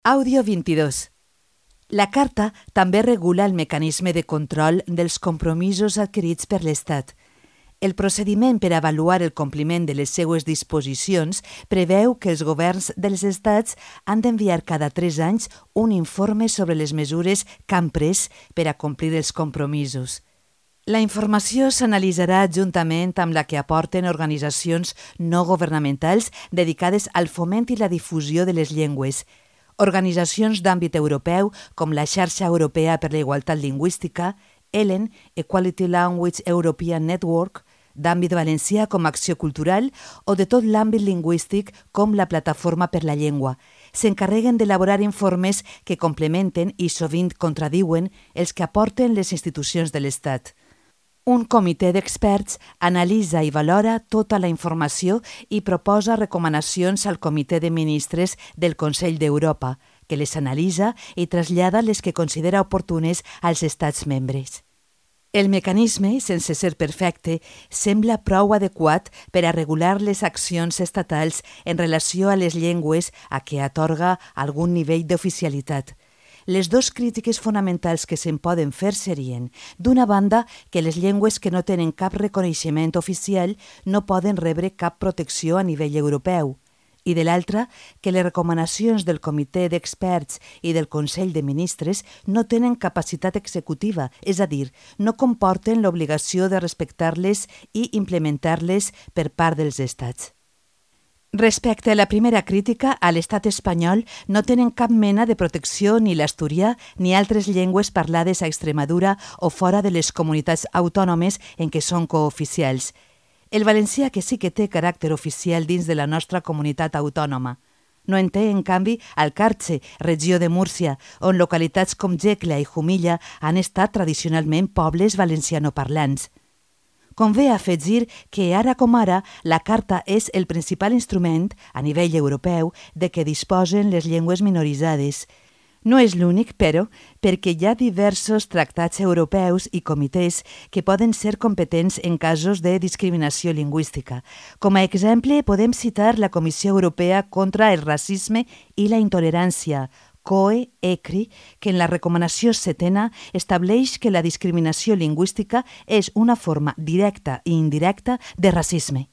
Àudio 22. La Carta també regula el mecanisme de control dels compromisos adquirits per l'Estat. El procediment per avaluar el compliment de les seues disposicions preveu que els governs dels estats han d'enviar cada 3 anys un informe sobre les mesures que han pres per a complir els compromisos. La informació s'analitzarà juntament amb la que aporten organitzacions no governamentals dedicades al foment i la difusió de les llengües, organitzacions d'àmbit europeu com la Xarxa Europea per la Igualtat Lingüística, ELEN, Equality Language European Network, d'àmbit valencià com Acció Cultural o de tot l'àmbit lingüístic com la Plataforma per la Llengua. S'encarreguen d'elaborar informes que complementen i sovint contradiuen els que aporten les institucions de l'Estat. Un comitè d'experts analitza i valora tota la informació i proposa recomanacions al Comitè de Ministres del Consell d'Europa, que les analitza i trasllada les que considera oportunes als estats membres. El mecanisme, sense ser perfecte, sembla prou adequat per a regular les accions estatals en relació a les llengües a què atorga algun nivell d'oficialitat. Les dues crítiques fonamentals que se'n poden fer serien, d'una banda, que les llengües que no tenen cap reconeixement oficial no poden rebre cap protecció a nivell europeu, i de l'altra, que les recomanacions del Comitè d'Experts i del Consell de Ministres no tenen capacitat executiva, és a dir, no comporten l'obligació de respectar-les i implementar-les per part dels estats. Respecte a la primera crítica, a l'estat espanyol no tenen cap mena de protecció ni l'asturià ni altres llengües parlades a Extremadura o fora de les comunitats autònomes en què són cooficials. El valencià que sí que té caràcter oficial dins de la nostra comunitat autònoma. No en té, en canvi, al Carxe, regió de Múrcia, on localitats com Jecla i Jumilla han estat tradicionalment pobles valencianoparlants. Convé afegir que, ara com ara, la Carta és el principal instrument, a nivell europeu, de què disposen les llengües minoritzades. No és l'únic, però, perquè hi ha diversos tractats europeus i comitès que poden ser competents en casos de discriminació lingüística. Com a exemple, podem citar la Comissió Europea contra el Racisme i la Intolerància, COE-ECRI, que en la recomanació 7a estableix que la discriminació lingüística és una forma directa i indirecta de racisme.